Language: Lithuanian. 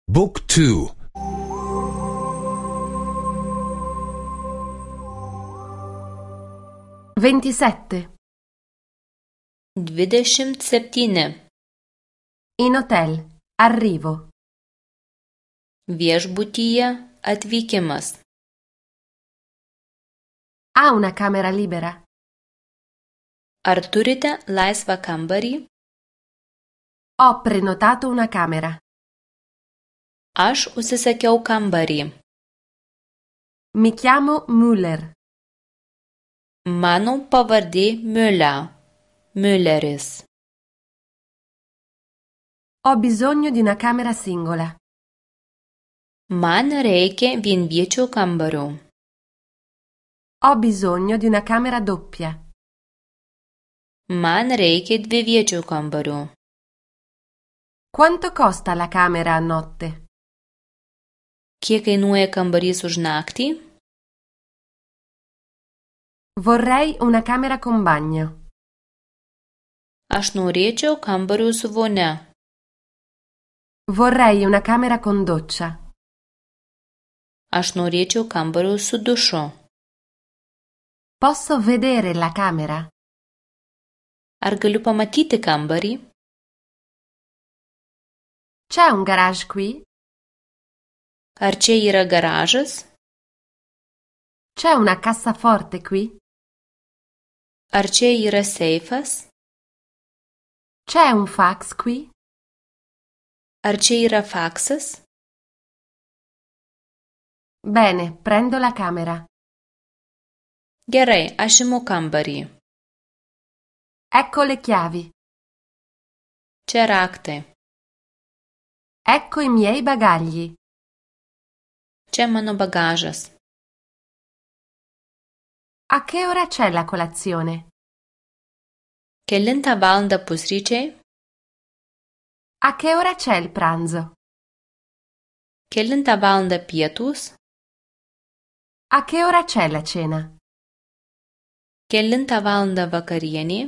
Book 2. 27. 27. In hotel. Arrivo. Viešbutyje atvykimas. Ha una camera libera? Ar turite laisvą kambarį? Ho prenotato una camera. Aš užsisakiau kambarį. Mi chiamo Müller. Mano pavardė Mülleris. Ho bisogno di una camera singola. Man reikia vienviečio kambario. Ho bisogno di una camera doppia. Man reikia dviviečio kambario. Quanto costa la camera a notte? Kiek kainuoja kambarys už naktį? Vorrei una camera con bagno. Aš norėčiau kambario su vonia. Vorrei una camera con doccia. Aš norėčiau kambario su dušu. Posso vedere la camera? Ar galiu pamatyti kambarį? C'è un garage qui? Ar čia yra garažas? C'è una cassaforte qui? Ar čia yra seifas? C'è un fax qui? Ar čia yra faksas? Bene, prendo la camera. Gerai, aš imu kambarį. Ecco le chiavi. Čia raktai. Ecco i miei bagagli. Čia mano bagažas. A che ora c'è la colazione? Kelintą valandą pusryčiai? A che ora c'è il pranzo? Kelintą valandą pietūs? A che ora c'è la cena? Kelintą valandą vakarienė?